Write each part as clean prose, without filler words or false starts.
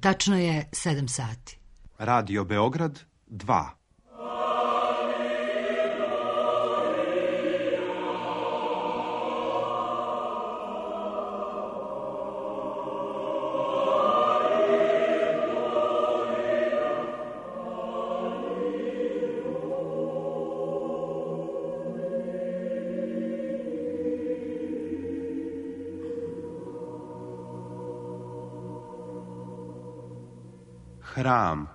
Tačno je 7 sati. Radio Beograd 2. Hram.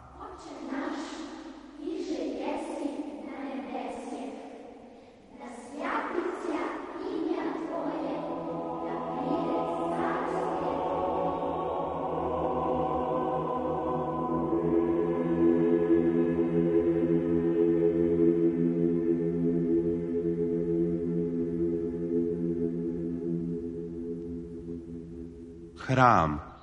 Hram.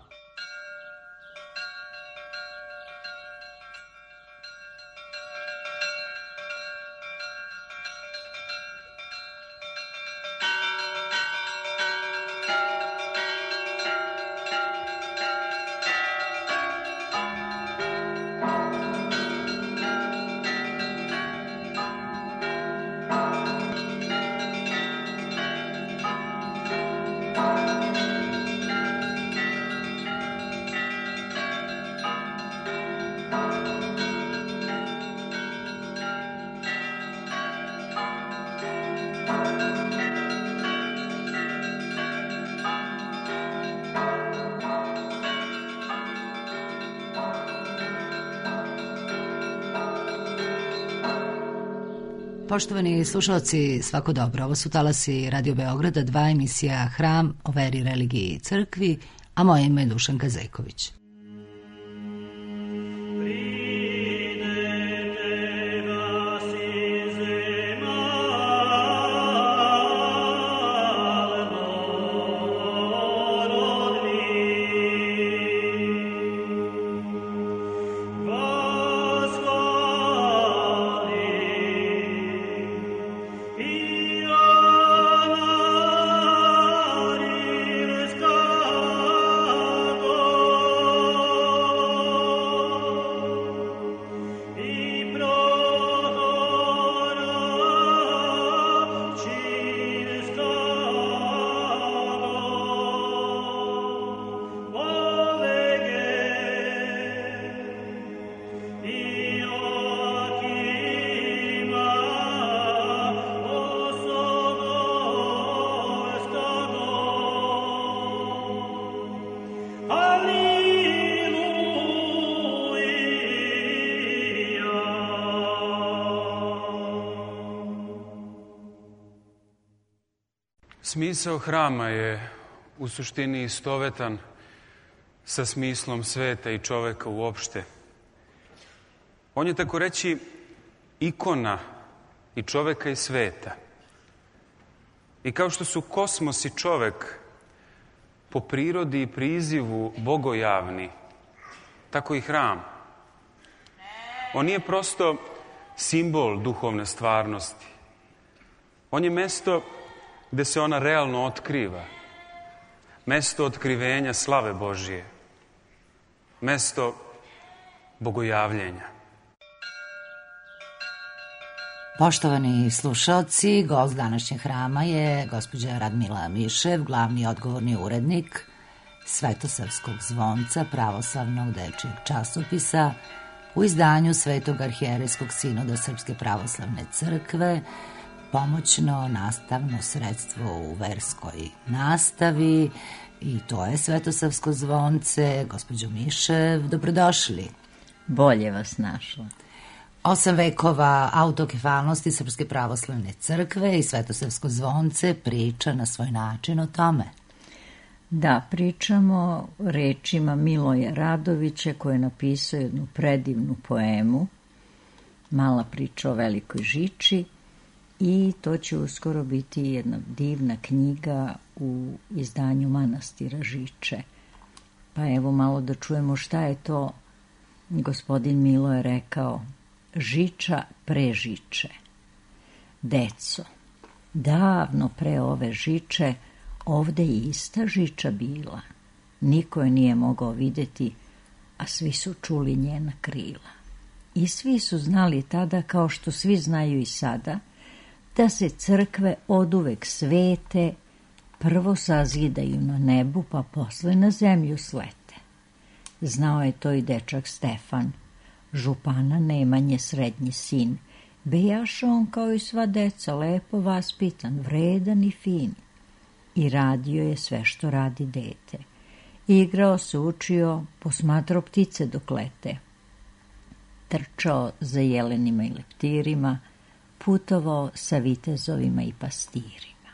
Poštovani slušalci, svako dobro. Ovo su talasi Radio Beograda 2, emisija Hram o veri, religiji i crkvi, a moje ime je Dušanka Zejković. Smisao hrama je u suštini istovetan sa smislom sveta i čoveka uopšte. On je, tako reći, ikona i čoveka i sveta. I kao što su kosmos i čovek po prirodi i prizivu bogojavni, tako i hram. On nije prosto simbol duhovne stvarnosti. On je mesto gde se ona realno otkriva. Mesto otkrivenja slave Božije. Mesto bogojavljenja. Poštovani slušalci, gost današnjeg hrama je gospođa Radmila Mišev, glavni odgovorni urednik Svetosavskog zvonca, pravoslavnog dečijeg časopisa, u izdanju Svetog arhijerejskog sinoda Srpske pravoslavne crkve, pomoćno nastavno sredstvo u verskoj nastavi, i to je Svetosavsko zvonce. Gospođo Mišev, dobrodošli. Bolje vas našla. 8 vekova autokefalnosti Srpske pravoslavne crkve i Svetosavsko zvonce priča na svoj način o tome. Da, pričamo rečima Miloja Radovića, koji je napisao jednu predivnu poemu, Mala priča o velikoj žiči, i to će uskoro biti jedna divna knjiga u izdanju manastira Žiče. Pa evo malo da čujemo šta je to gospodin Milo je rekao. Žiča pre žiče. Deco, davno pre ove žiče ovde je ista žiča bila. Niko je nije mogao videti, a svi su čuli njena krila. I svi su znali tada, kao što svi znaju i sada, da se crkve oduvek svete, prvo sazidaju na nebu, pa posle na zemlju slete. Znao je to i dečak Stefan, župana Nemanje srednji sin. Bejaša on kao i sva deca, lepo vaspitan, vredan i fin. I radio je sve što radi dete. Igrao se, učio, posmatrao ptice dok lete. Trčao za jelenima i leptirima, putovao sa vitezovima i pastirima.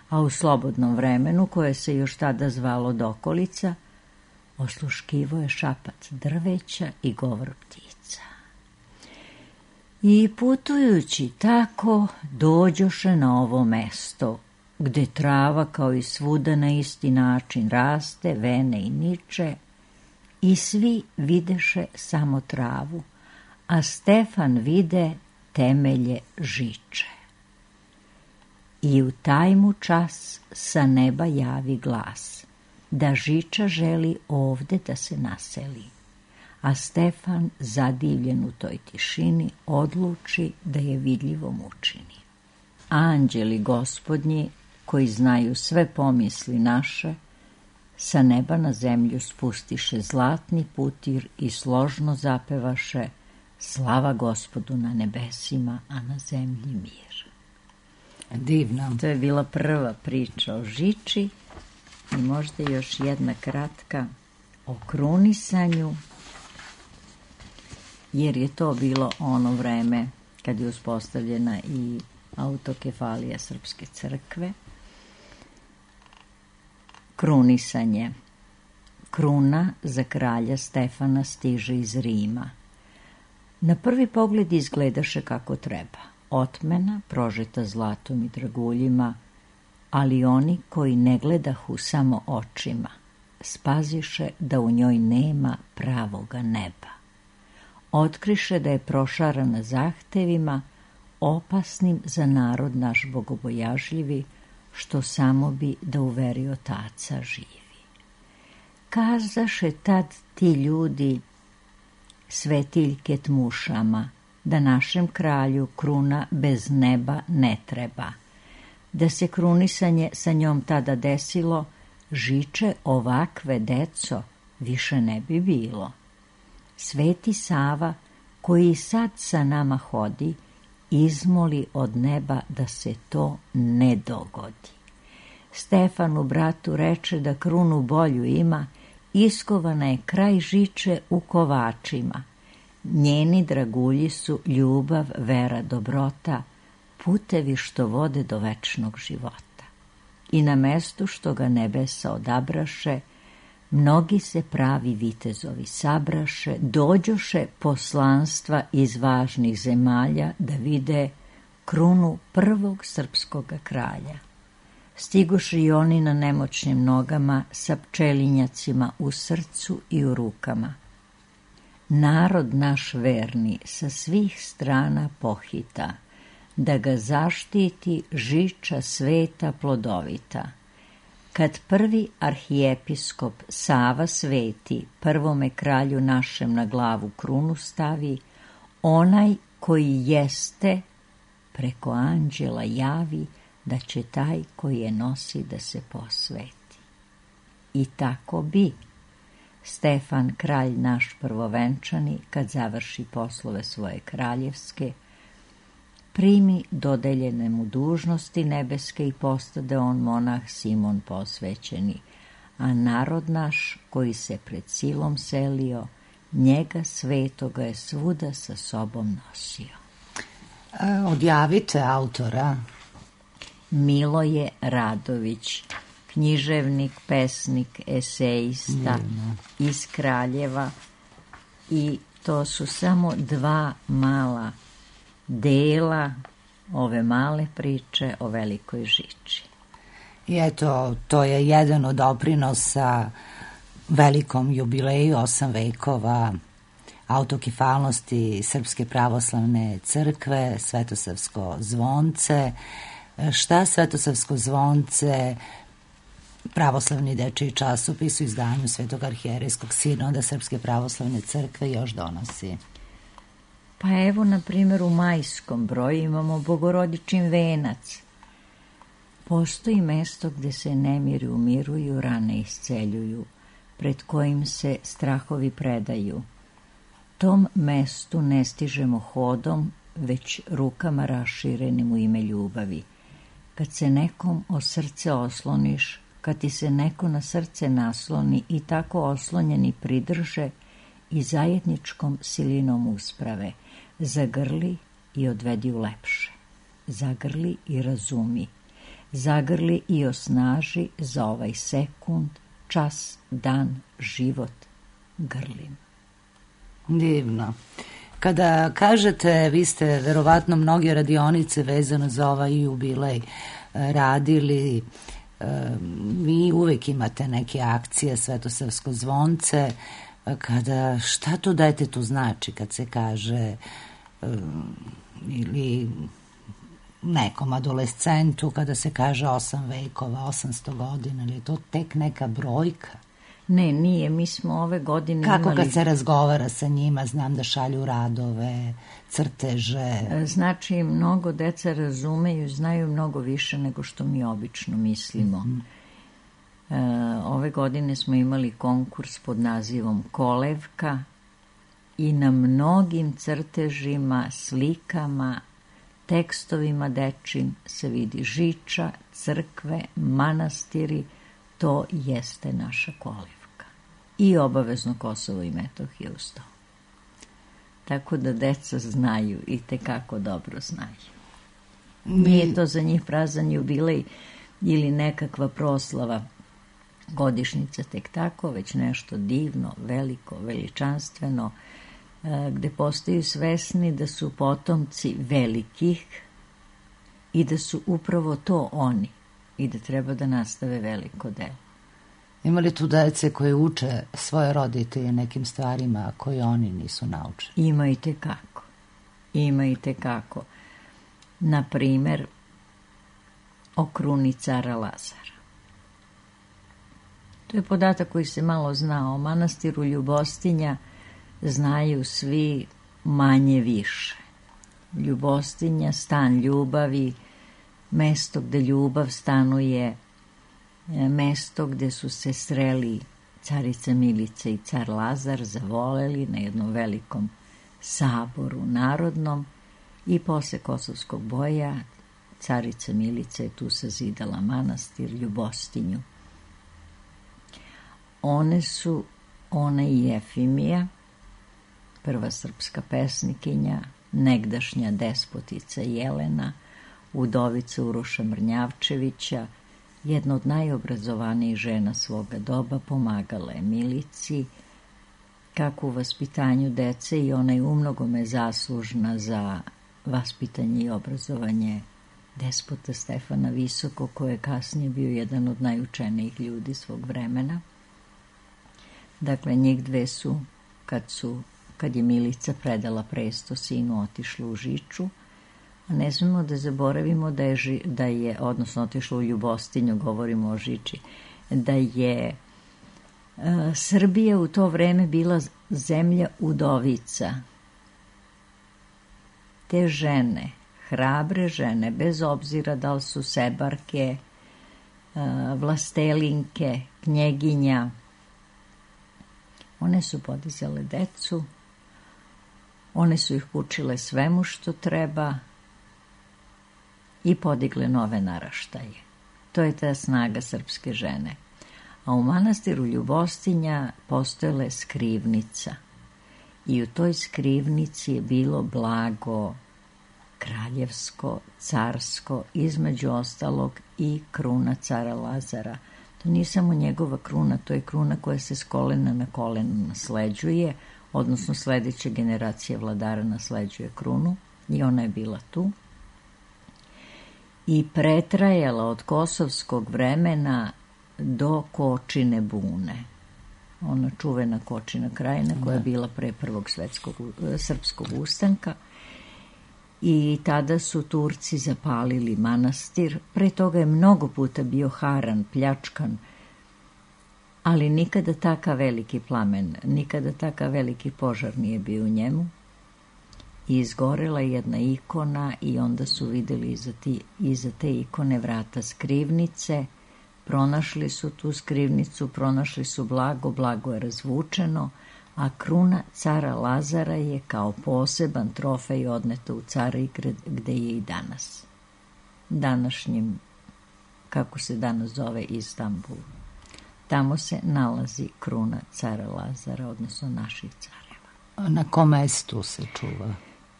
A u slobodnom vremenu, koje se još tada zvalo dokolica, osluškivo je šapac drveća i govor ptica. I putujući tako, dođoše na ovo mesto, gde trava kao i svuda na isti način raste, vene i niče, i svi videše samo travu, a Stefan vide temelje žiče. I u taj mu čas sa neba javi glas, da žiča želi ovde da se naseli, a Stefan, zadivljen u toj tišini, odluči da je vidljivom učini. Anđeli gospodnji, koji znaju sve pomisli naše, sa neba na zemlju spustiše zlatni putir i složno zapevaše: slava Gospodu na nebesima, a na zemlji mir. Divno. To je bila prva priča o žiči i možda još jedna kratka o krunisanju, jer je to bilo ono vreme kad je uspostavljena i autokefalija Srpske crkve. Krunisanje. Kruna za kralja Stefana stiže iz Rima. Na prvi pogled izgledaše kako treba. Otmena, prožeta zlatom i draguljima, ali oni koji ne gledahu samo očima, spaziše da u njoj nema pravoga neba. Otkriše da je prošarana zahtevima, opasnim za narod naš bogobojažljivi, što samo bi da uveri otaca živi. Kazaše tad ti ljudi, svetiljke tmušama, da našem kralju kruna bez neba ne treba. Da se krunisanje sa njom tada desilo, žiče ovakve, deco, više ne bi bilo. Sveti Sava, koji sad sa nama hodi, izmoli od neba da se to ne dogodi. Stefanu bratu reče da krunu bolju ima, iskovana je kraj žiče u kovačima. Njeni dragulji su ljubav, vera, dobrota, putevi što vode do večnog života. I na mestu što ga nebesa odabraše, mnogi se pravi vitezovi sabraše, dođoše poslanstva iz važnih zemalja da vide krunu prvog srpskog kralja. Stigoše i oni na nemoćnim nogama sa pčelinjacima u srcu i u rukama. Narod naš verni sa svih strana pohita, da ga zaštiti žiča sveta plodovita. Kad prvi arhijepiskop Sava sveti prvome kralju našem na glavu krunu stavi, onaj koji jeste preko anđela javi da će taj koji je nosi da se posveti. I tako bi. Stefan, kralj naš prvovenčani, kad završi poslove svoje kraljevske, primi dodeljene mu dužnosti nebeske i postade on monah Simon posvećeni, a narod naš koji se pred silom selio, njega svetoga je svuda sa sobom nosio. Odjavite autora. Miloje Radović, književnik, pesnik, esejista iz Kraljeva, i to su samo dva mala dela ove male priče o velikoj žiči. I eto, to je jedan od doprinosa velikom jubileju 8 vekova autokefalnosti Srpske pravoslavne crkve, Svetosavsko zvonce. Šta Svetosavsko zvonce pravoslavni dečiji časopis u izdanju Svetog arhijerejskog sinoda Srpske pravoslavne crkve još donosi? Pa evo, na primjer, u majskom broju imamo Bogorodičin venac. Postoji mesto gde se nemiri umiruju, rane isceljuju, pred kojim se strahovi predaju. Tom mestu ne stižemo hodom, već rukama raširenim u ime ljubavi. Kad se nekom o srce osloniš, kad ti se neko na srce nasloni i tako oslonjeni pridrže i zajedničkom silinom usprave, zagrli i odvedi u lepše. Zagrli i razumi. Zagrli i osnaži za ovaj sekund, čas, dan, život. Grlim. Divno. Kada kažete, vi ste verovatno mnoge radionice vezano za ovaj jubilej radili, vi uvek imate neke akcije, Svetosavsko zvonce, šta to detetu znači kad se kaže, ili nekom adolescentu kada se kaže 8 vekova, 800 godina, ili je to tek neka brojka? Ne, nije, mi smo ove godine Kako imali... kad se razgovara sa njima, znam da šalju radove, crteže? Znači, mnogo deca razumeju, znaju mnogo više nego što mi obično mislimo. Ove godine smo imali konkurs pod nazivom Kolevka i na mnogim crtežima, slikama, tekstovima dečim se vidi žiča, crkve, manastiri, to jeste naša kolevka. I obavezno Kosovo i Metohija uz to. Tako da deca znaju i tekako dobro znaju. Nije to za njih prazan jubilej ili nekakva proslava godišnjica tek tako, već nešto divno, veliko, veličanstveno, gde postaju svesni da su potomci velikih i da su upravo to oni i da treba da nastave veliko delo. Ima li tu dece koje uče svoje roditelje nekim stvarima koje oni nisu naučili? Ima i tekako. Ima i tekako. Na primer, o kruni cara Lazara. To je podatak koji se malo zna. O manastiru Ljubostinja znaju svi manje više. Ljubostinja, stan ljubavi, mesto gde ljubav stanuje, mesto gde su se sreli carica Milica i car Lazar, zavoleli na jednom velikom saboru narodnom i posle Kosovskog boja carica Milica je tu sazidala manastir Ljubostinju. Ona i Jefimija, prva srpska pesnikinja, negdašnja despotica Jelena, udovica Uroša Mrnjavčevića, jedna od najobrazovanijih žena svoga doba, pomagala je Milici, kako u vaspitanju dece, i ona je umnogome zaslužna za vaspitanje i obrazovanje despota Stefana Visokog, koji je kasnije bio jedan od najučenijih ljudi svog vremena. Dakle, njih dve su, kad je Milica predala presto sinu, otišla u Žiču, a ne smemo da zaboravimo da je, odnosno otišla u Ljubostinju, govorimo o Žiči, da je Srbija u to vreme bila zemlja udovica. Te žene, hrabre žene, bez obzira da li su sebarke, vlastelinke, knjeginja, one su podizale decu, one su ih učile svemu što treba i podigle nove naraštaje. To je ta snaga srpske žene. A u manastiru Ljubostinja postojala je skrivnica i u toj skrivnici je bilo blago kraljevsko, carsko, između ostalog i kruna cara Lazara. To nije samo njegova kruna, to je kruna koja se s kolena na koleno nasleđuje, odnosno sledeća generacija vladara nasleđuje krunu i ona je bila tu. I pretrajala od kosovskog vremena do Kočine bune. Ona čuvena Kočina krajina koja je bila pre prvog srpskog ustanka. I tada su Turci zapalili manastir. Pre toga je mnogo puta bio haran, pljačkan ali nikada takav veliki plamen, nikada takav veliki požar nije bio u njemu. I izgorela jedna ikona i onda su vidjeli iza te ikone vrata skrivnice, pronašli su tu skrivnicu, pronašli su blago je razvučeno, a kruna cara Lazara je kao poseban trofej odneta u Carigrad, gde je i danas. Današnjim, kako se danas zove, Istanbul. Tamo se nalazi kruna cara Lazara, odnosno naših careva. Na kom mestu se čuva?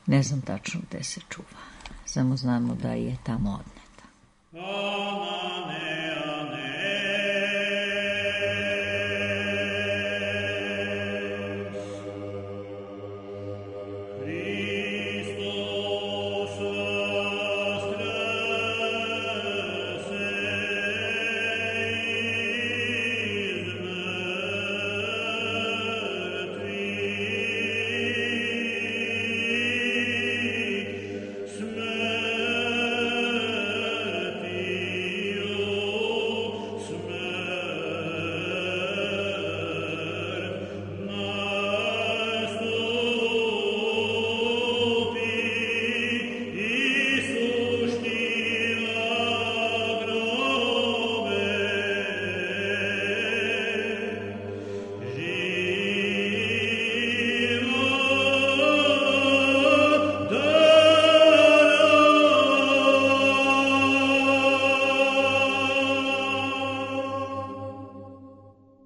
Ne znam tačno gde se čuva. Samo znamo da je tamo odneta.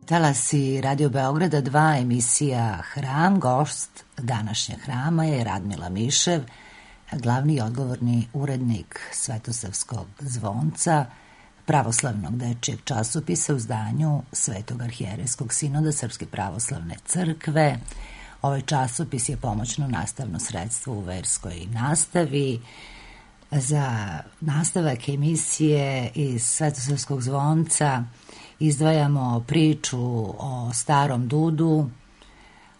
Talasi Radio Beograda 2, emisija Hram. Gost današnjeg Hrama je Radmila Mišev, glavni i odgovorni urednik Svetosavskog zvonca, pravoslavnog dečijeg časopisa u zdanju Svetog arhijerejskog sinoda Srpske pravoslavne crkve. Ovaj časopis je pomoćno nastavno sredstvo u verskoj nastavi. Za nastavak emisije iz Svetosavskog zvonca izdvajamo priču o starom dudu,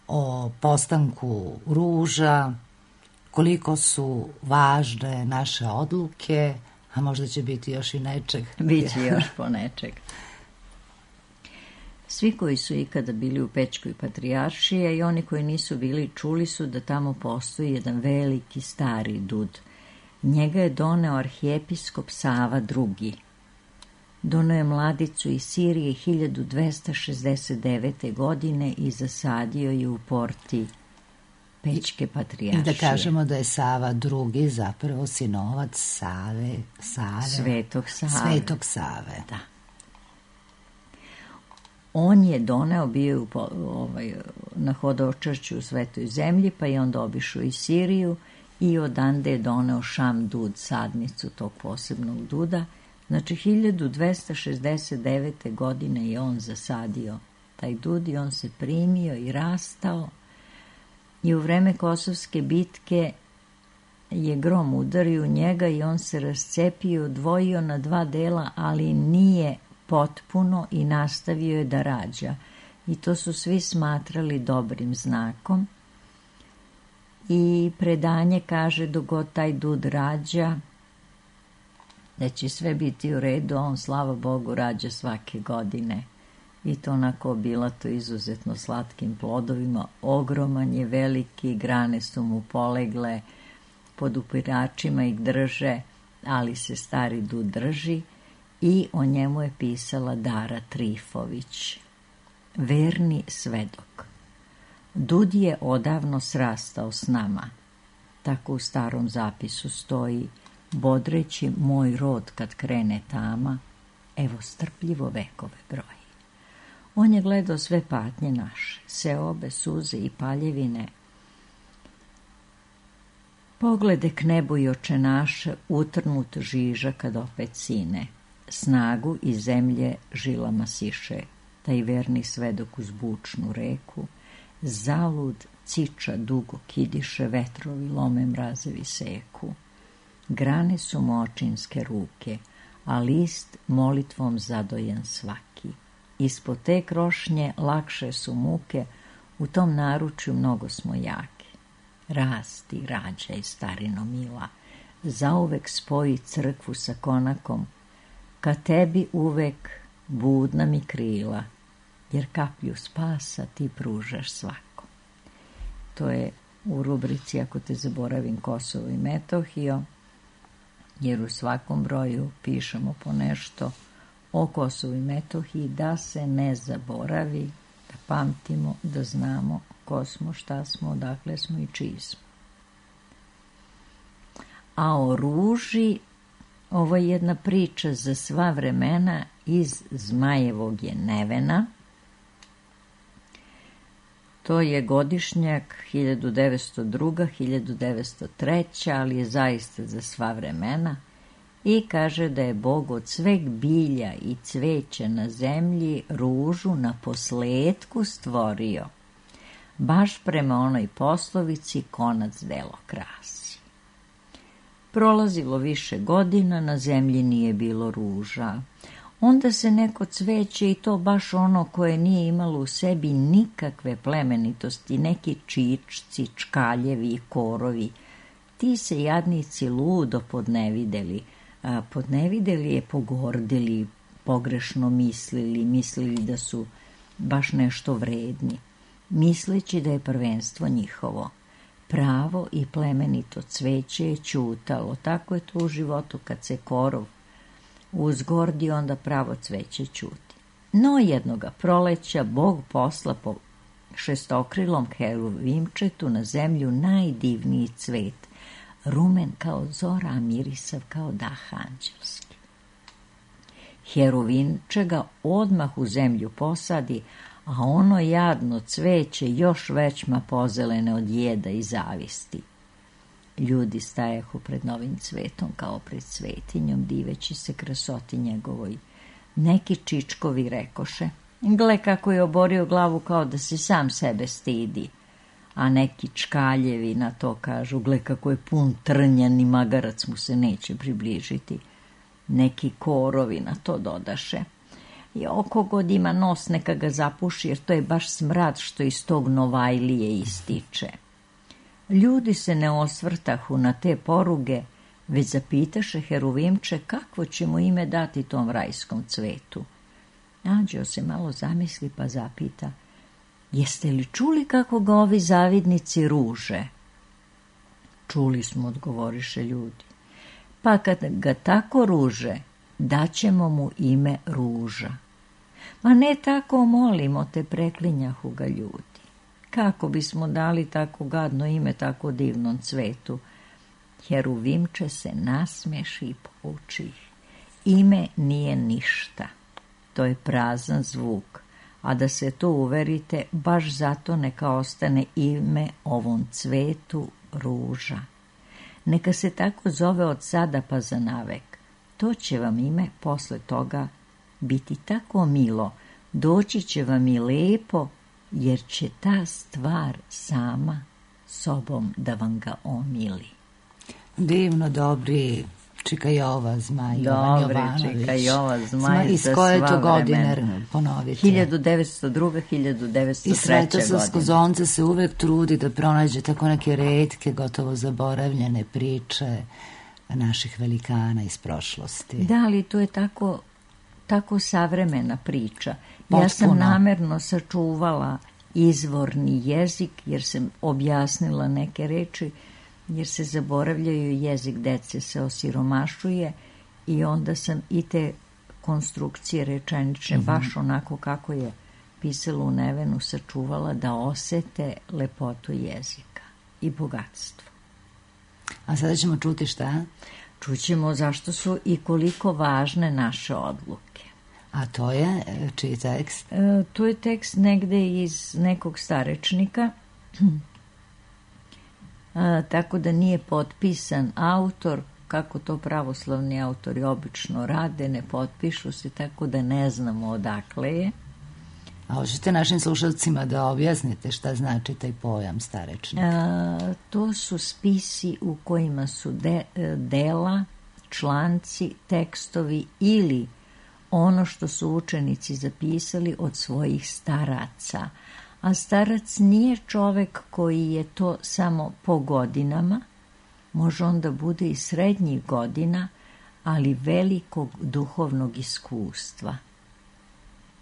o postanku ruža, koliko su važne naše odluke, a možda će biti još i nečeg. Biće još po nečeg. Svi koji su ikada bili u Pećkoj patrijaršiji i oni koji nisu bili, čuli su da tamo postoji jedan veliki stari dud. Njega je doneo arhijepiskop Sava II. Doneo je mladicu iz Sirije 1269. godine i zasadio je u porti Pećke patrijaršije. I da kažemo da je Sava II zapravo sinovac Svetog Save. Da. On je doneo, bio na Hodočašću u Svetoj zemlji, pa je onda obišao i Siriju i odande je doneo Šam dud, sadnicu tog posebnog duda. Znači, 1269. godine je on zasadio taj dud i on se primio i rastao. I u vreme Kosovske bitke je grom udario u njega i on se rascepio, odvojio na dva dela, ali nije potpuno i nastavio je da rađa. I to su svi smatrali dobrim znakom. I predanje kaže dok god taj dud rađa, da će sve biti u redu, on, slava Bogu, rađa svake godine. I to onako obilato izuzetno slatkim plodovima. Ogroman je, veliki, grane su mu polegle, pod upiračima ih drže, ali se stari dud drži i o njemu je pisala Dara Trifović. Verni svedok. Dud je odavno srastao s nama. Tako u starom zapisu stoji: bodreći moj rod kad krene tama, evo strpljivo vekove broji. On je gledao sve patnje naše, seobe, suze i paljevine. Poglede k nebu i oče naše, utrnut žiža kad opet sine. Snagu iz zemlje žilama siše, taj verni svedok uz bučnu reku. Zalud ciča dugo kidiše, vetrovi lome, mrazevi seku. Grane su močinske ruke, a list molitvom zadojen svaki. Ispod te krošnje lakše su muke, u tom naručju mnogo smo jaki. Rasti, rađaj, starino mila, zauvek spoji crkvu sa konakom, ka tebi uvek budna mi krila, jer kaplju spasa ti pružaš svakom. To je u rubrici Ako te zaboravim Kosovo i Metohiju, jer u svakom broju pišemo po nešto o Kosovu i Metohiji, da se ne zaboravi, da pamtimo, da znamo ko smo, šta smo, odakle smo i čiji smo. A o ruži, ovo je jedna priča za sva vremena iz Zmajevog je Nevena. To je godišnjak 1902. 1903. ali je zaista za sva vremena i kaže da je Bog od sveg bilja i cveća na zemlji ružu na posletku stvorio, baš prema onoj poslovici konac delo krasi. Prolazilo više godina, na zemlji nije bilo ruža. Onda se neko cveće, i to baš ono koje nije imalo u sebi nikakve plemenitosti, neki čičci, čkaljevi i korovi, ti se jadnici ludo podnevideli. Podnevideli je pogordili, pogrešno mislili da su baš nešto vredni, misleći da je prvenstvo njihovo. Pravo i plemenito cveće je ćutalo, tako je to u životu kad se korov uzgordi, onda pravo cveće ćuti. No jednoga proleća Bog posla po šestokrilom heruvimčetu na zemlju najdivniji cvet, rumen kao zora, a mirisav kao dah anđelski. Heruvimče ga odmah u zemlju posadi, a ono jadno cveće još većma pozelene od jeda i zavisti. Ljudi stajahu pred novim cvetom kao pred svetinjom, diveći se krasoti njegovoj. Neki čičkovi rekoše, gle kako je oborio glavu kao da se sam sebe stidi. A neki čkaljevi na to kažu, gle kako je pun trnja, ni magarac mu se neće približiti. Neki korovi na to dodaše, i oko god ima nos neka ga zapuši, jer to je baš smrad što iz tog novajlije ističe. Ljudi se ne osvrtahu na te poruge, već zapitaše heruvimče kakvo će mu ime dati tom rajskom cvetu. Anđeo se malo zamisli pa zapita, jeste li čuli kako ga ovi zavidnici ruže? Čuli smo, odgovoriše ljudi. Pa kad ga tako ruže, daćemo mu ime Ruža. Ma ne tako, molimo te, preklinjahu ga ljudi. Kako bismo dali tako gadno ime tako divnom cvetu? Heruvimče se nasmeši i pouči. Ime nije ništa. To je prazan zvuk. A da se to uverite, baš zato neka ostane ime ovom cvetu Ruža. Neka se tako zove od sada pa za navek. To će vam ime posle toga biti tako milo, doći će vam i lepo, jer će ta stvar sama sobom da vam ga omili. Divno, dobri Čika Jova Zmaj, Jovan Jovanović. Dobri Čika Jova Zmaj iz za koje sva to godine vremena. ponovite? 1902. 1903. I Svetosavsko zonce se uvek trudi da pronađe tako neke retke, gotovo zaboravljene priče naših velikana iz prošlosti. Da, ali to je tako savremena priča. Potpuno. Ja sam namerno sačuvala izvorni jezik, jer sam objasnila neke reči, jer se zaboravljaju, jezik dece se osiromašuje, i onda sam i te konstrukcije rečenične, baš onako kako je pisalo u Nevenu, sačuvala da osete lepotu jezika i bogatstvo. A sada ćemo čuti šta? Čućemo zašto su i koliko važne naše odluke. A to je čiji tekst? To je tekst negde iz nekog starečnika, tako da nije potpisan autor, kako to pravoslavni autori obično rade, ne potpišu se, tako da ne znamo odakle je. A hoćete našim slušalcima da objasnite šta znači taj pojam starečnik? To su spisi u kojima su dela, članci, tekstovi ili ono što su učenici zapisali od svojih staraca. A starac nije čovek koji je to samo po godinama, može onda bude i srednjih godina, ali velikog duhovnog iskustva.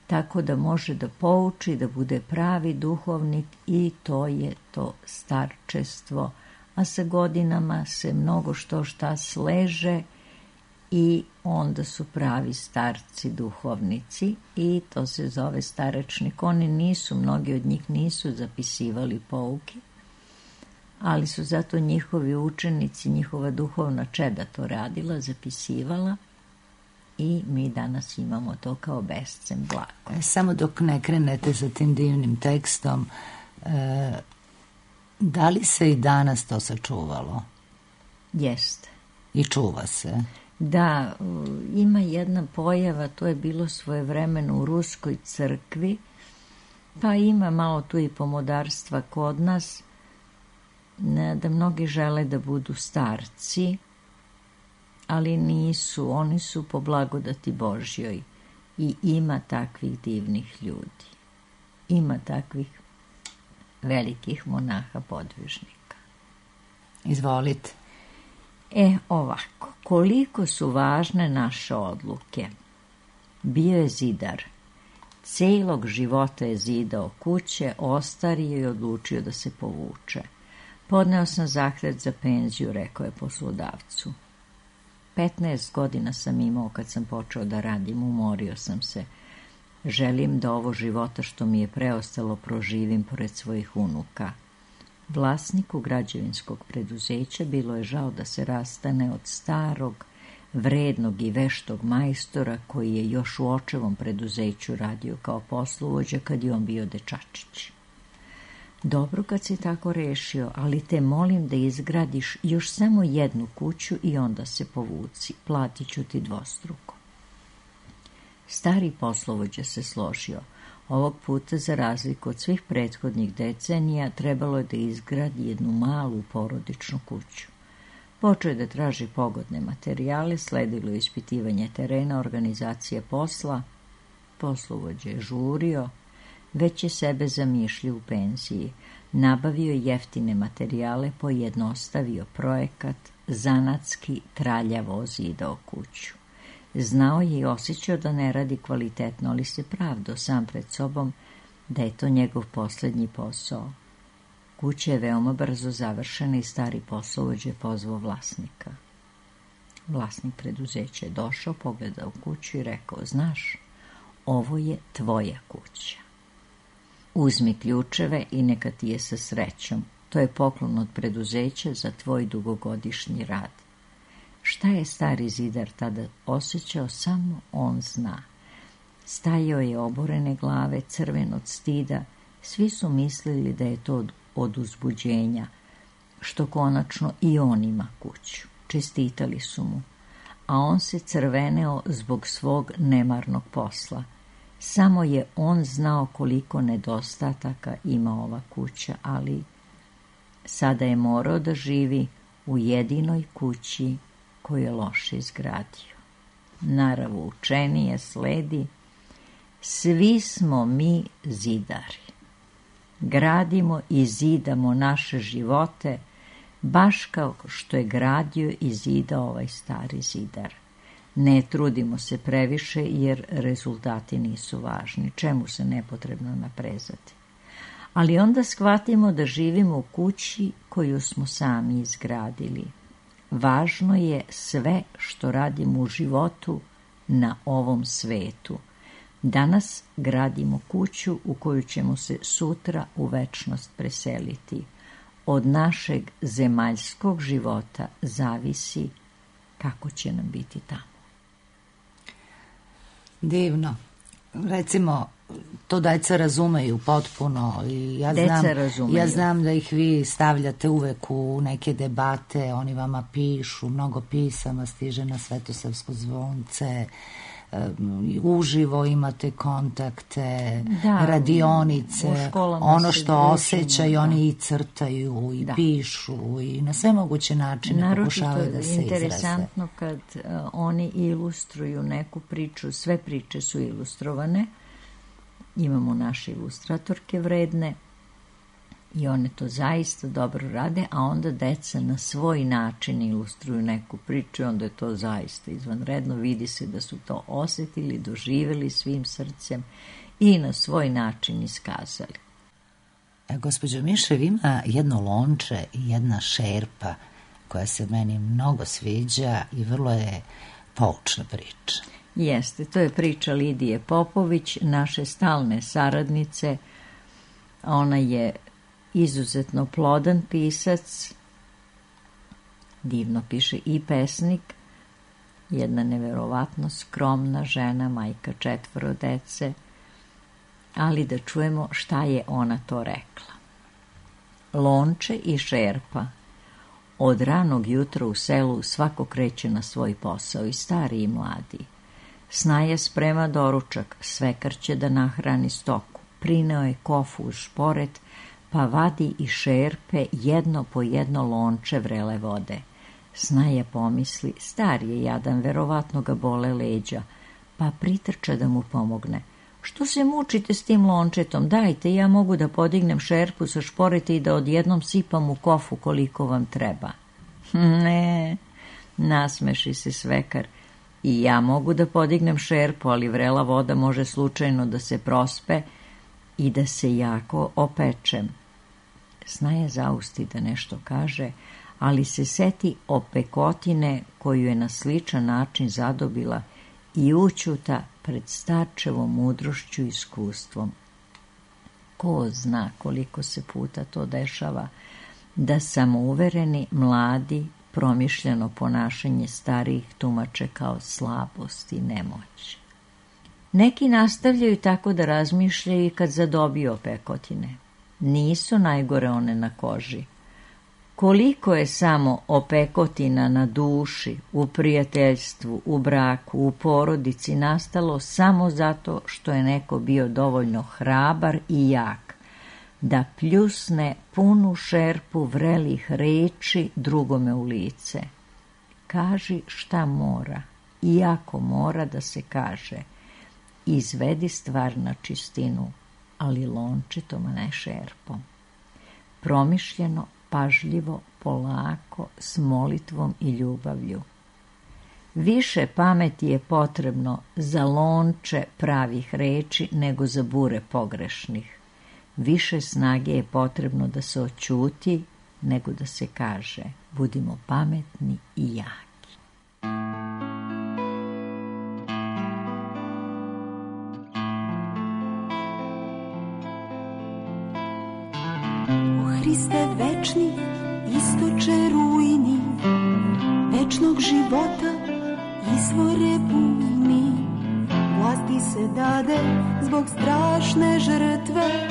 tako da može da pouči, da bude pravi duhovnik i to je to starčestvo. A sa godinama se mnogo šta sleže i onda su pravi starci duhovnici i to se zove starečnik. Oni nisu, mnogi od njih nisu zapisivali pouke, ali su zato njihovi učenici, njihova duhovna čeda to radila, zapisivala i mi danas imamo to kao bescen blago. Samo dok ne krenete sa tim divnim tekstom, da li se i danas to sačuvalo? Jeste. I čuva se? Da, ima jedna pojava, to je bilo svojevremeno u Ruskoj crkvi, pa ima malo tu i pomodarstva kod nas, da mnogi žele da budu starci, ali nisu, oni su po blagodati Božjoj i ima takvih divnih ljudi. Ima takvih velikih monaha podvižnika. Izvolite. Ovako, koliko su važne naše odluke. Bio je zidar. Celog života je zidao kuće, ostario i odlučio da se povuče. Podneo sam zahtev za penziju, rekao je poslodavcu. 15 godina sam imao kad sam počeo da radim, umorio sam se. Želim da ovo života što mi je preostalo proživim pored svojih unuka. Vlasniku građevinskog preduzeća bilo je žao da se rastane od starog, vrednog i veštog majstora koji je još u očevom preduzeću radio kao poslovođa kad je on bio dečačić. Dobro kad si tako rešio, ali te molim da izgradiš još samo jednu kuću i onda se povuci, platit ću ti dvostruko. Stari poslovođa se složio. Ovog puta, za razliku od svih prethodnih decenija, trebalo je da izgradi jednu malu porodičnu kuću. Počeo je da traži pogodne materijale, sledilo je ispitivanje terena, organizacije posla. Poslovođa je žurio, već je sebe zamišljio u penziji. Nabavio je jeftine materijale, pojednostavio projekat, zanatski traljavo ozidao kuću. Znao je i osjećao da ne radi kvalitetno, ali se pravdao sam pred sobom da je to njegov poslednji posao. Kuća je veoma brzo završena i stari poslovođa je pozvao vlasnika. Vlasnik preduzeća je došao, pogledao kuću i rekao, znaš, ovo je tvoja kuća. Uzmi ključeve i neka ti je sa srećom. To je poklon od preduzeća za tvoj dugogodišnji rad. Šta je stari zidar tada osjećao, samo on zna. Stajao je oborene glave, crven od stida. Svi su mislili da je to od uzbuđenja, što konačno i on ima kuću. Čestitali su mu, a on se crveneo zbog svog nemarnog posla. Samo je on znao koliko nedostataka ima ova kuća, ali sada je morao da živi u jedinoj kući koju je loše izgradio. Naravu učenije sledi, svi smo mi zidari. Gradimo i zidamo naše živote, baš kao što je gradio i zidao ovaj stari zidar. Ne trudimo se previše jer rezultati nisu važni, čemu se nepotrebno naprezati. Ali onda shvatimo da živimo u kući koju smo sami izgradili. Važno je sve što radimo u životu na ovom svetu. Danas gradimo kuću u koju ćemo se sutra u večnost preseliti. Od našeg zemaljskog života zavisi kako će nam biti tamo. Divno. Recimo, to deca razumeju potpuno i ja znam da ih vi stavljate uvek u neke debate, oni vama pišu, mnogo pisama stiže na Svetosavsko zvonce, uživo imate kontakte, radionice, ono što osjećaju oni i crtaju i pišu i na sve moguće načine pokušavaju da se izraze. Naročito je interesantno kad oni ilustruju neku priču, sve priče su ilustrovane, imamo naše ilustratorke vredne I one to zaista dobro rade, a onda deca na svoj način ilustruju neku priču i onda je to zaista izvanredno. Vidi se da su to osetili, doživjeli svim srcem i na svoj način iskazali. Gospođo Mišev, ima jedno lonče i jedna šerpa koja se meni mnogo sviđa i vrlo je poučna priča. Jeste, to je priča Lidije Popović, naše stalne saradnice. Ona je izuzetno plodan pisac, divno piše i pesnik, jedna neverovatno skromna žena, majka 4 dece, ali da čujemo šta je ona to rekla. Lonče i šerpa. Od ranog jutra u selu svako kreće na svoj posao, i stari i mladi. Snaja sprema doručak, svekar će da nahrani stoku, prineo je kofu uz šporet, pa vadi i šerpe jedno po jedno lonče vrele vode. Snaja pomisli, star je jadan, verovatno ga bole leđa, pa pritrča da mu pomogne. Što se mučite s tim lončetom? Dajte, ja mogu da podignem šerpu sa šporeta i da odjednom sipam u kofu koliko vam treba. Ne, nasmeši se svekar. I ja mogu da podignem šerpu, ali vrela voda može slučajno da se prospe i da se jako opečem. Snaja zausti da nešto kaže, ali se seti opekotine koju je na sličan način zadobila i ućuta pred starčevom mudrošću i iskustvom. Ko zna koliko se puta to dešava, da samouvereni, mladi, promišljeno ponašanje starijih tumače kao slabost i nemoć. Neki nastavljaju tako da razmišljaju i kad zadobiju opekotine. Nisu najgore one na koži. Koliko je samo opekotina na duši, u prijateljstvu, u braku, u porodici nastalo samo zato što je neko bio dovoljno hrabar i jak, da pljusne punu šerpu vrelih reči drugome u lice. Kaži šta mora, iako mora da se kaže. Izvedi stvar na čistinu, ali lončetom, a ne šerpom. Promišljeno, pažljivo, polako, s molitvom i ljubavlju. Više pameti je potrebno za lonče pravih reči nego za bure pogrešnih. Više snage je potrebno da se oćuti nego da se kaže. Budimo pametni i jaki. O Hriste večni, istoče rujni, večnog života izvore bujni. Vlasti se dade zbog strašne žrtve,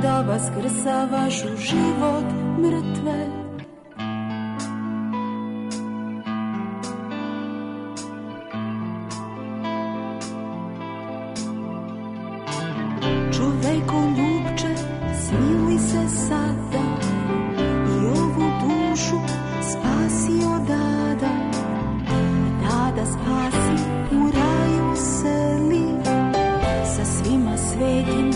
da vaskrsavaš u život mrtve. Čoveko ljubče, smili se sada i ovu dušu spasi odada. Tada spasi, u raju seli, sa svima svetim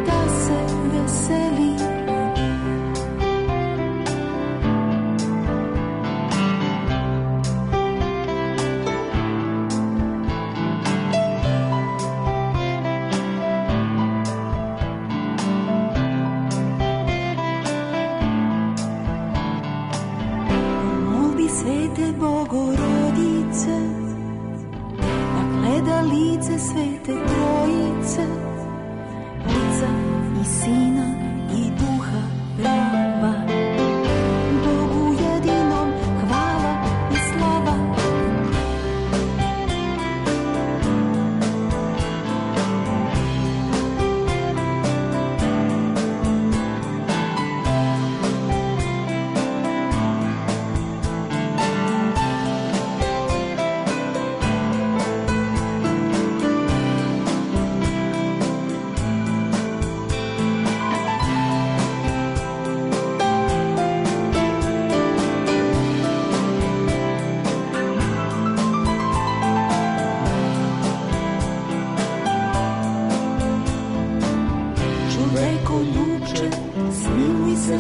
da se veseli. Molbi svete Bogorodice, da gleda lice svete Trojice, Oca i Sina i Duha prava. Bogu jedinom hvala i slava.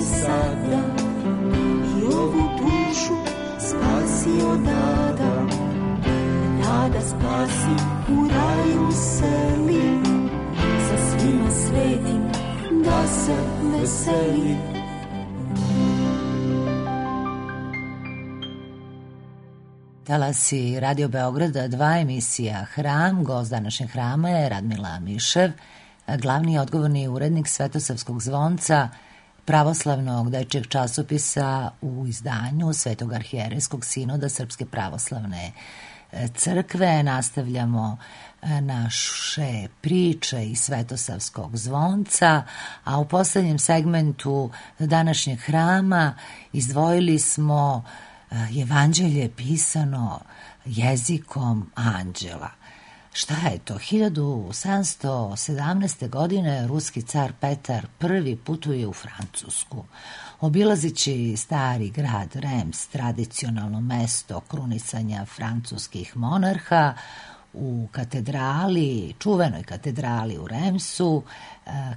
se sada i ovu dušu spasi od ada. Nada spasi, u raju seli, sa svima svetim da se veseli. Talasi Radio Beograda 2, emisija Hram. Gost današnjeg hrama je Radmila Mišev, glavni odgovorni urednik Svetosavskog zvonca, pravoslavnog dečijeg časopisa u izdanju Svetog arhijerejskog sinoda Srpske pravoslavne crkve. Nastavljamo naše priče iz Svetosavskog zvonca, a u poslednjem segmentu današnjeg hrama izdvojili smo Evanđelje pisano jezikom anđela. Šta je to? 1717. godine ruski car Petar I putuje u Francusku. Obilazići stari grad Reims, tradicionalno mesto krunisanja francuskih monarha, u katedrali, čuvenoj katedrali u Reimsu,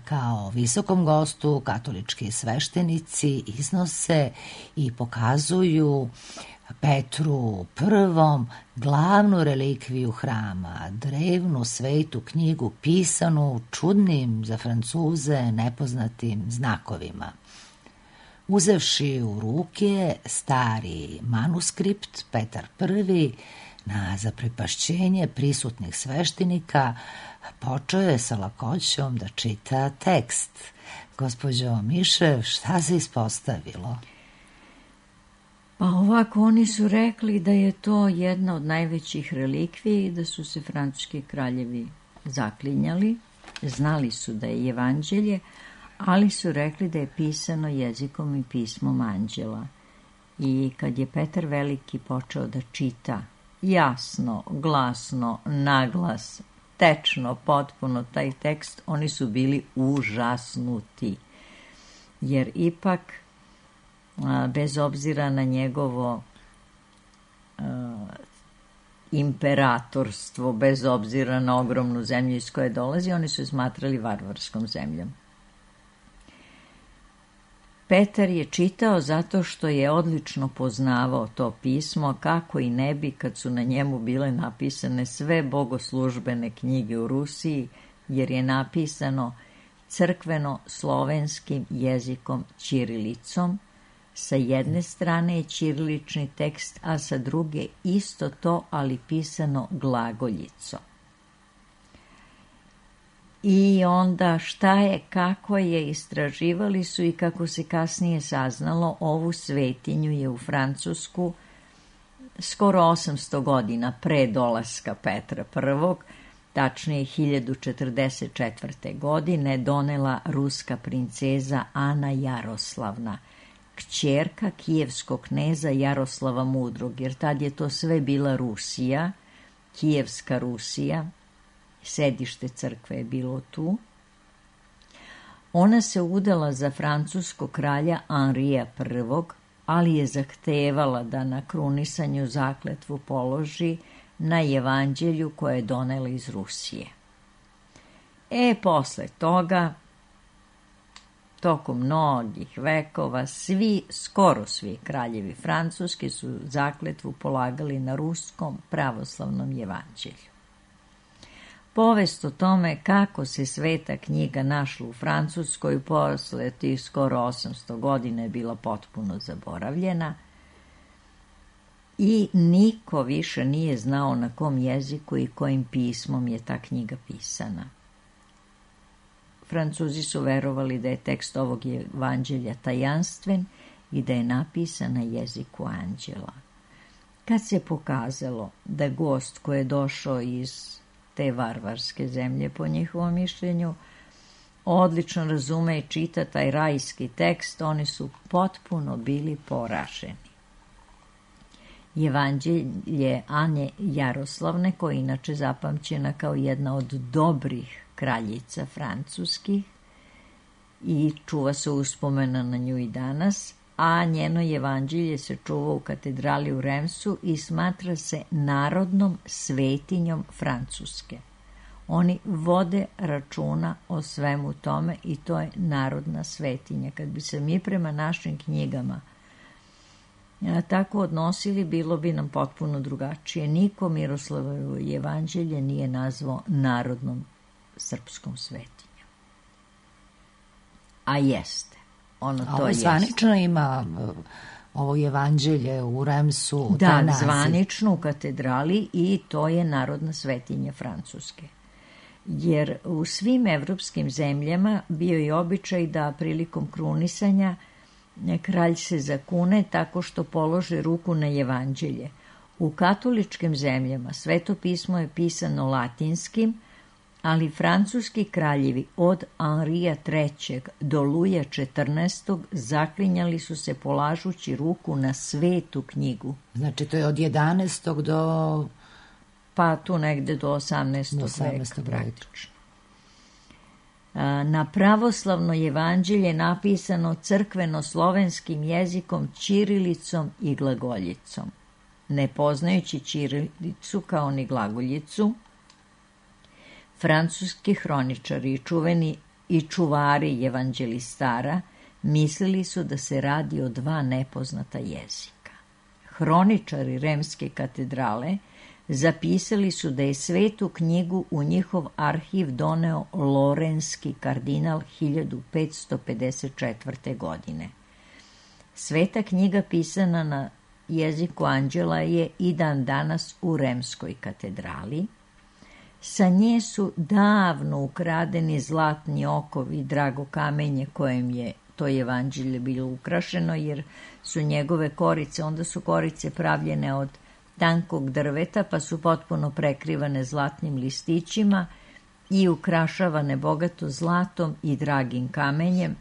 kao visokom gostu katolički sveštenici iznose i pokazuju Petru I glavnu relikviju hrama, drevnu svetu knjigu pisanu čudnim za Francuze nepoznatim znakovima. Uzevši u ruke stari manuskript, Petar I na zaprepašćenje prisutnih sveštenika počeo je sa lakoćom da čita tekst. Gospođo Mišev, šta se ispostavilo? Pa ovako, oni su rekli da je to jedna od najvećih relikvija i da su se francuski kraljevi zaklinjali. Znali su da je Evanđelje, ali su rekli da je pisano jezikom i pismom anđela. I kad je Petar Veliki počeo da čita jasno, glasno, naglas, tečno, potpuno taj tekst, oni su bili užasnuti. Jer ipak, bez obzira na njegovo imperatorstvo, bez obzira na ogromnu zemlju iz koje dolazi, oni su je smatrali varvarskom zemljom. Petar je čitao zato što je odlično poznavao to pismo, kako i ne bi kad su na njemu bile napisane sve bogoslužbene knjige u Rusiji, jer je napisano crkveno-slovenskim jezikom ćirilicom. Sa jedne strane je ćirilični tekst, a sa druge isto to, ali pisano glagoljicom. I onda šta je, kako je, istraživali su i kako se kasnije saznalo, ovu svetinju je u Francusku skoro 800 godina pre dolaska Petra I, tačnije 1044. godine, donela ruska princeza Ana Jaroslavna, kćerka kijevskog kneza Jaroslava Mudrog, jer tad je to sve bila Rusija, Kijevska Rusija, sedište crkve je bilo tu. Ona se udala za francuskog kralja Henrija I, ali je zahtevala da na krunisanju zakletvu položi na Evanđelju koje je donela iz Rusije. Posle toga, tokom mnogih vekova, skoro svi kraljevi francuski su zakletvu polagali na ruskom pravoslavnom Evanđelju. Povest o tome kako se sveta knjiga našla u Francuskoj posle tih skoro 800 godina je bila potpuno zaboravljena i niko više nije znao na kom jeziku i kojim pismom je ta knjiga pisana. Francuzi su verovali da je tekst ovog evanđelja tajanstven i da je napisan na jeziku anđela. Kad se pokazalo da gost koji je došao iz te varvarske zemlje, po njihovom mišljenju, odlično razume i čita taj rajski tekst, oni su potpuno bili poraženi. Evanđelje Ane Jaroslavne, koja je inače zapamćena kao jedna od dobrih kraljica francuskih i čuva se uspomena na nju i danas, a njeno evanđelje se čuva u katedrali u Reimsu i smatra se narodnom svetinjom Francuske. Oni vode računa o svemu tome i to je narodna svetinja. Kad bi se mi prema našim knjigama tako odnosili, bilo bi nam potpuno drugačije. Niko Miroslavovo jevanđelje nije nazvao narodnom srpskom svetinjom. A jeste. Ono to jeste. Zvanično ima ovo jevanđelje u Remsu. Da, zvanično u katedrali i to je narodna svetinja Francuske. Jer u svim evropskim zemljama bio je običaj da prilikom krunisanja kralj se zakune tako što položi ruku na jevanđelje. U katoličkim zemljama Sveto pismo je pisano latinskim, ali francuski kraljevi od Henrija III. Do Luja XIV. Zaklinjali su se polažući ruku na svetu knjigu. Znači to je od 11. do... Pa tu negde do 18. veka praktično. Na pravoslavno jevanđelje napisano crkveno-slovenskim jezikom, ćirilicom i glagoljicom. Ne poznajući ćirilicu kao ni glagoljicu, francuski hroničari i čuvari evanđelistara mislili su da se radi o dva nepoznata jezika. Hroničari Remske katedrale zapisali su da je svetu knjigu u njihov arhiv doneo lorenski kardinal 1554. godine. Sveta knjiga pisana na jeziku anđela je i dan danas u Remskoj katedrali. Sa nje su davno ukradeni zlatni okovi i drago kamenje kojem je to evanđelje bilo ukrašeno, jer su njegove korice, onda su korice pravljene od tankog drveta, pa su potpuno prekrivane zlatnim listićima i ukrašavane bogato zlatom i dragim kamenjem.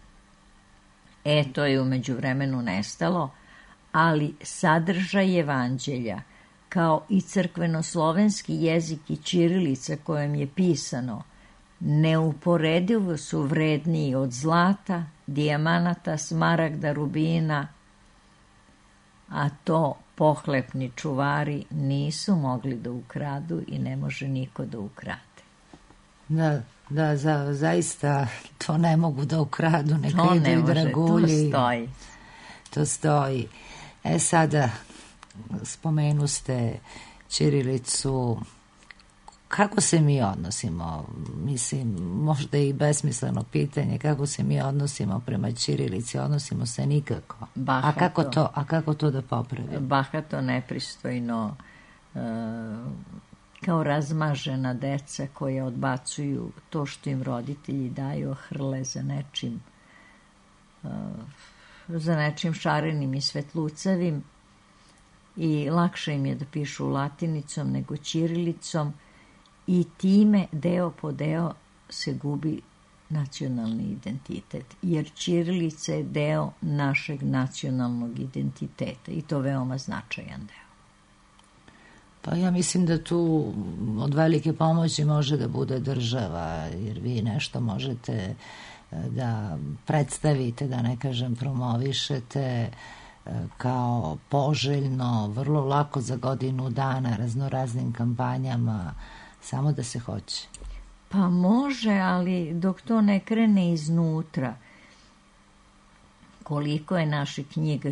To je u međuvremenu nestalo, ali sadržaj evanđelja, kao i crkveno-slovenski jezik i ćirilica kojem je pisano, neuporedivo su vredniji od zlata, dijamanata, smaragda, rubina, a to pohlepni čuvari nisu mogli da ukradu i ne može niko da ukrade. Da, zaista to ne mogu da ukradu, neka idu i dragulji. To stoji. Sada spomenu ste ćirilicu. Kako se mi odnosimo? Mislim, možda i besmisleno pitanje, kako se mi odnosimo prema ćirilici? Odnosimo se nikako. Bahato. A kako to da popravimo? Bahato, nepristojno, kao razmažena deca koja odbacuju to što im roditelji daju, hrle za nečim šarenim i svetlucavim, i lakše im je da pišu latinicom nego ćirilicom, i time deo po deo se gubi nacionalni identitet, jer ćirilica je deo našeg nacionalnog identiteta i to veoma značajan deo. Pa ja mislim da tu od velike pomoći može da bude država, jer vi nešto možete da predstavite, da ne kažem promovišete kao poželjno, vrlo lako za godinu dana, raznoraznim kampanjama, samo da se hoće. Pa može, ali dok to ne krene iznutra, koliko je naših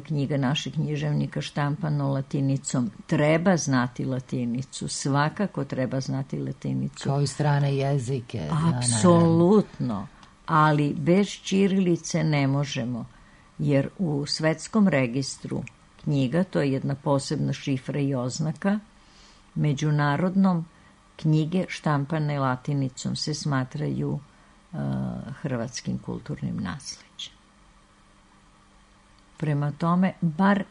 knjiga naših književnika štampano latinicom, treba znati latinicu, svakako treba znati latinicu. Kao i strane jezike. Apsolutno, ali bez ćirilice ne možemo, jer u svetskom registru knjiga, to je jedna posebna šifra i oznaka, međunarodnom knjige štampane latinicom se smatraju hrvatskim kulturnim nasleđem. Prema tome, bar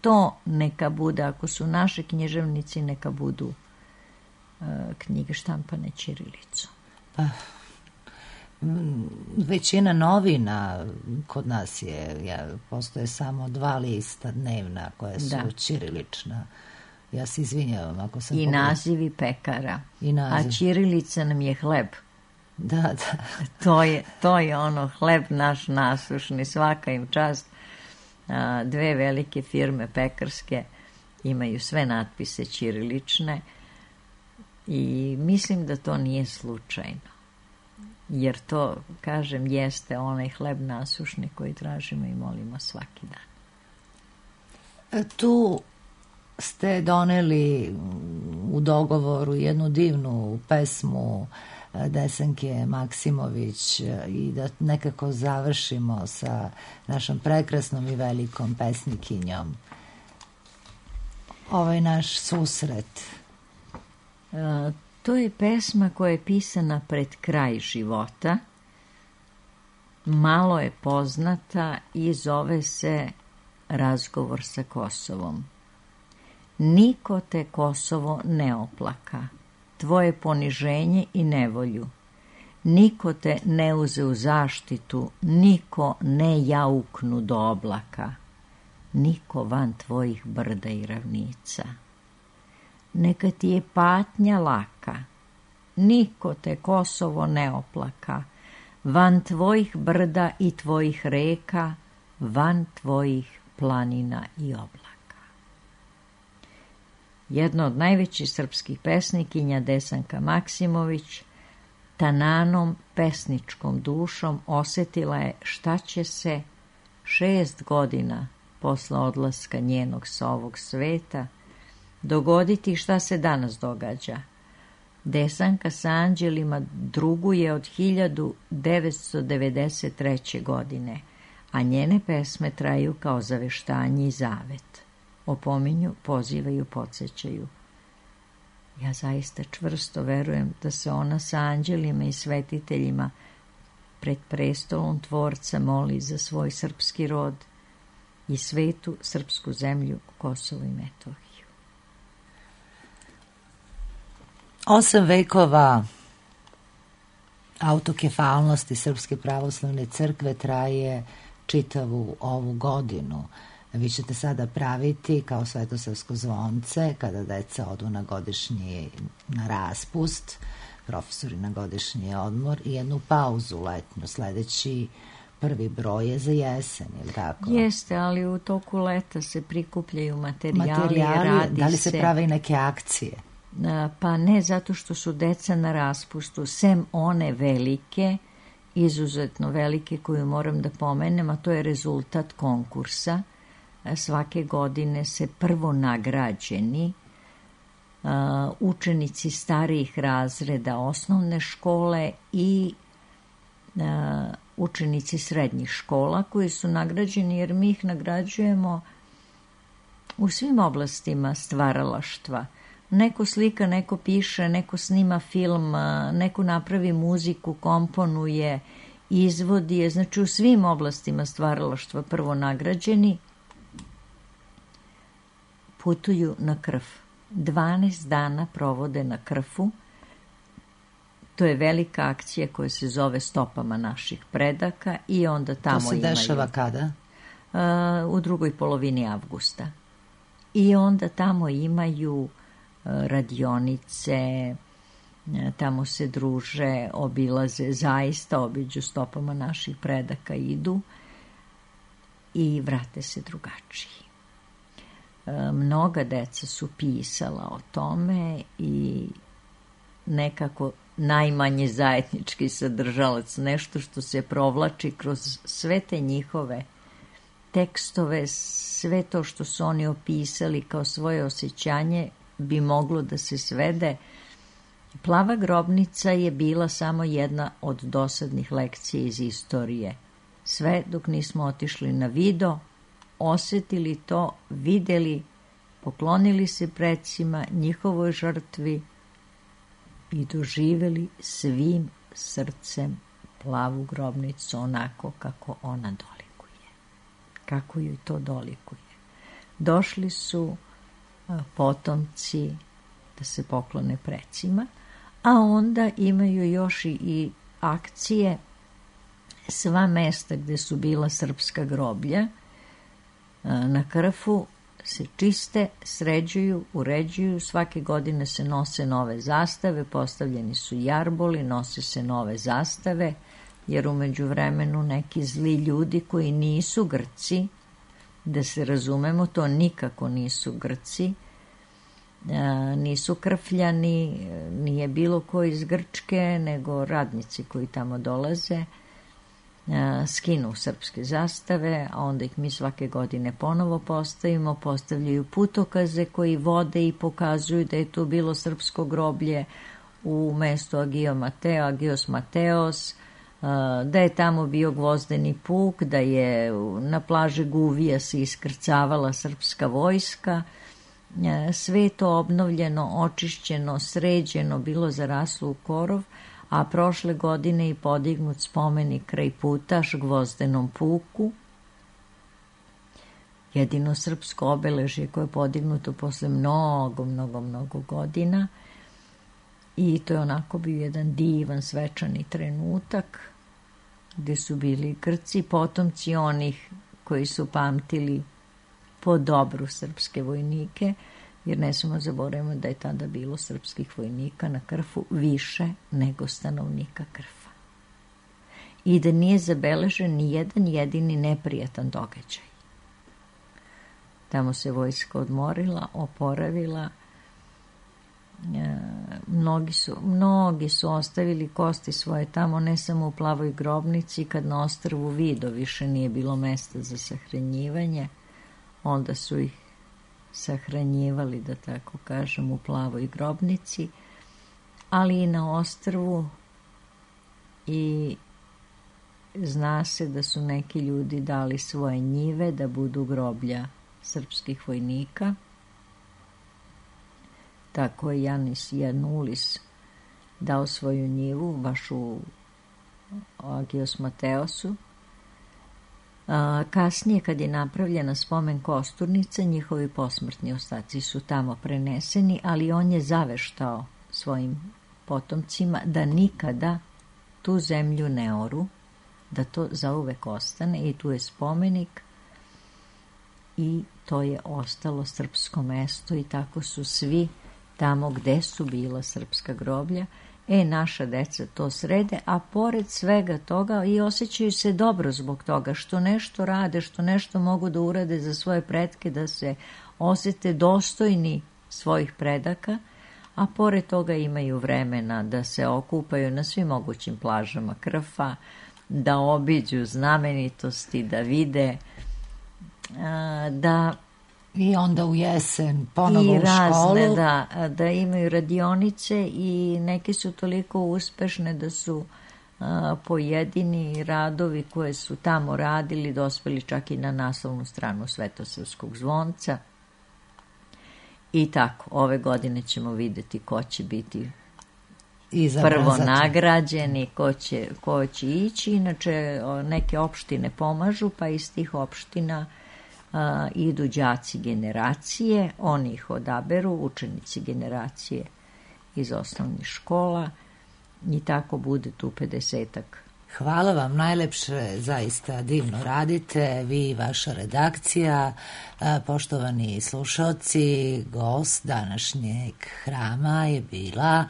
to neka bude, ako su naši književnici, neka budu knjige štampane ćirilicom. Pa, većina novina kod nas postoje samo 2 lista dnevna koja su ćirilična. Ja se izvinjavam ako sam I nazivi pekara. A ćirilica nam je hleb. Da. To je ono, hleb naš nasušni, svaka im čast. 2 velike firme pekarske imaju sve natpise ćirilične. I mislim da to nije slučajno. Jer to, kažem, jeste onaj hleb nasušni koji tražimo i molimo svaki dan. Tu ste doneli u dogovoru jednu divnu pesmu Desanke Maksimović i da nekako završimo sa našom prekrasnom i velikom pesnikinjom ovaj naš susret. To je pesma koja je pisana pred kraj života. Malo je poznata i zove se Razgovor sa Kosovom. Niko te, Kosovo, ne oplaka, tvoje poniženje i nevolju. Niko te ne uze u zaštitu, niko ne jauknu do oblaka, niko van tvojih brda i ravnica. Neka ti je patnja laka, niko te, Kosovo, ne oplaka, van tvojih brda i tvojih reka, van tvojih planina i oblaka. Jedna od najvećih srpskih pesnikinja, Desanka Maksimović, tananom, pesničkom dušom osetila je šta će se 6 godina posle odlaska njenog sa ovog sveta dogoditi i šta se danas događa. Desanka sa anđelima druguje od 1993. godine, a njene pesme traju kao zaveštanje i zavet. Opominju, pozivaju, podsjećaju. Ja zaista čvrsto verujem da se ona sa anđelima i svetiteljima pred prestolom Tvorca moli za svoj srpski rod i svetu srpsku zemlju, Kosovo i Metohiju. 8 vekova autokefalnosti Srpske pravoslavne crkve traje čitavu ovu godinu. Vi ćete sada praviti kao Svetosavsko zvonce kada deca odu na godišnji na raspust, profesori na godišnji odmor i jednu pauzu letnju. Sledeći prvi broj je za jesen, ili tako? Jeste, ali u toku leta se prikupljaju materijali, radi da li se prave i neke akcije? Pa ne, zato što su deca na raspustu, sem one velike, izuzetno velike koju moram da pomenem, a to je rezultat konkursa. Svake godine se prvo nagrađeni učenici starijih razreda osnovne škole i učenici srednjih škola koji su nagrađeni, jer mi ih nagrađujemo u svim oblastima stvaralaštva. Neko slika, neko piše, neko snima film, neko napravi muziku, komponuje, izvodi je, znači u svim oblastima stvaralaštva prvo nagrađeni, putuju na Krf. 12 dana provode na Krfu. To je velika akcija koja se zove Stopama naših predaka i onda tamo imaju... To se dešava kada? U drugoj polovini avgusta. I onda tamo imaju radionice, tamo se druže, obilaze, zaista obiđu Stopama naših predaka, idu i vrate se drugačiji. Mnoga deca su pisala o tome i nekako najmanje zajednički sadržalac, nešto što se provlači kroz sve te njihove tekstove, sve to što su oni opisali kao svoje osjećanje bi moglo da se svede. Plava grobnica je bila samo jedna od dosadnih lekcija iz istorije. Sve dok nismo otišli na video, osjetili to, videli, poklonili se precima, njihovoj žrtvi i doživeli svim srcem plavu grobnicu onako kako ona dolikuje. Kako joj to dolikuje. Došli su potomci da se poklone precima, a onda imaju još i akcije sva mesta gde su bila srpska groblja. Na Krfu se čiste, sređuju, uređuju, svake godine se nose nove zastave, postavljeni su jarboli, nose se nove zastave, jer u međuvremenu neki zli ljudi koji nisu Grci, da se razumemo, to nikako nisu Grci, nisu krfljani, nije bilo ko iz Grčke, nego radnici koji tamo dolaze, skinu srpske zastave, a onda ih mi svake godine ponovo postavimo, postavljaju putokaze koji vode i pokazuju da je to bilo srpsko groblje u mestu Agios Mateos, da je tamo bio gvozdeni puk, da je na plaži Guvija se iskrcavala srpska vojska. Sve je to obnovljeno, očišćeno, sređeno, bilo zaraslo u korov, a prošle godine je podignut spomenik kraj Putaš gvozdenom puku. Jedino srpsko obeležje koje je podignuto posle mnogo godina. I to je onako bio jedan divan, svečani trenutak gde su bili Grci, potomci onih koji su pamtili po dobru srpske vojnike, jer ne smemo zaboraviti da je tada bilo srpskih vojnika na Krfu više nego stanovnika Krfa. I da nije zabeležen ni jedan jedini neprijatan događaj. Tamo se vojska odmorila, oporavila. Mnogi su ostavili kosti svoje tamo, ne samo u Plavoj grobnici, kad na ostrvu Vido više nije bilo mesta za sahranjivanje, onda su ih sahranjivali, da tako kažem, u Plavoj grobnici, ali i na ostrvu, i zna se da su neki ljudi dali svoje njive da budu groblja srpskih vojnika. Tako je Janis Janulis dao svoju njivu baš u Agios Mateosu. Kasnije, kad je napravljena spomen kosturnica, njihovi posmrtni ostaci su tamo preneseni, ali on je zaveštao svojim potomcima da nikada tu zemlju ne oru, da to zauvek ostane, i tu je spomenik i to je ostalo srpsko mesto, i tako su svi tamo gde su bila srpska groblja. Naša deca to srede, a pored svega toga i osjećaju se dobro zbog toga što nešto rade, što nešto mogu da urade za svoje pretke, da se osete dostojni svojih predaka, a pored toga imaju vremena da se okupaju na svim mogućim plažama Krfa, da obiđu znamenitosti, da vide, da i onda u jesen ponovo i u školu. I razne, da imaju radionice, i neke su toliko uspešne da su pojedini radovi koje su tamo radili dospeli čak i na naslovnu stranu Svetosavskog zvonca. I tako, ove godine ćemo videti ko će biti prvo nagrađeni, ko će ići. Inače, neke opštine pomažu, pa iz tih opština idu đaci generacije, oni ih odaberu, učenici generacije iz osnovnih škola, i tako bude tu 50-ak. Hvala vam najlepše, zaista divno radite, vi i vaša redakcija. Poštovani slušaoci, gost današnjeg hrama je bila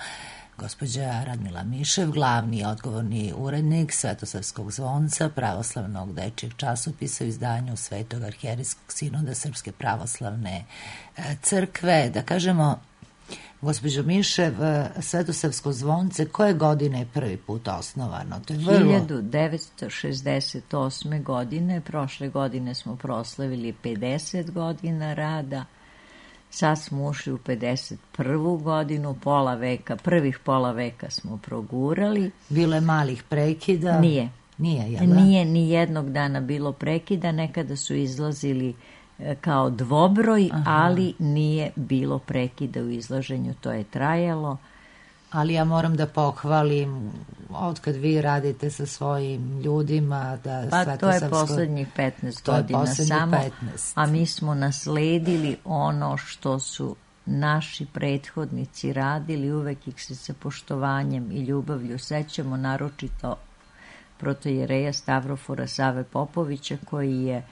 gospođa Radmila Mišev, glavni i odgovorni urednik Svetosavskog zvonca, pravoslavnog dečijeg časopisa u izdanju Svetog arhijerijskog sinoda Srpske pravoslavne crkve. Da kažemo, gospođo Mišev, Svetosavsko zvonce koje godine je prvi put osnovano? To je 1968. godine, prošle godine smo proslavili 50 godina rada. Sad smo ušli u 51. godinu, prvih pola veka smo progurali. Bilo je malih prekida? Nije. Nije, jel da? Nije ni jednog dana bilo prekida, nekada su izlazili kao dvobroj, ali nije bilo prekida u izlaženju, to je trajalo. Ali ja moram da pohvalim, otkad vi radite sa svojim ljudima, da pa to je poslednjih 15 godina samo, 15. A mi smo nasledili ono što su naši prethodnici radili, uvek ih se sa poštovanjem i ljubavlju sećamo, naročito protojereja Stavrofora Save Popovića, koji je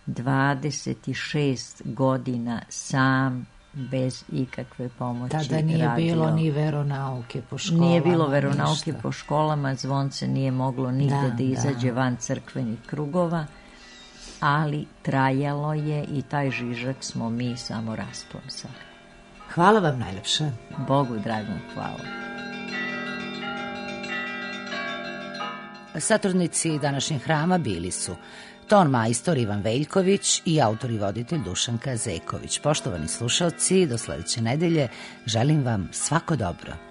26 godina sam, bez ikakve pomoći radio. Tada nije bilo ni veronauke po školama. Nije bilo veronauke po školama, zvonce nije moglo nigde da izađe van crkvenih krugova, ali trajalo je i taj žižak smo mi samo rasplamsali. Hvala vam najlepše. Bogu dragom hvala. Satornici današnjeg hrama bili su ton majstor Ivan Veljković i autor i voditelj Dušanka Zeković. Poštovani slušalci, do sledeće nedelje želim vam svako dobro.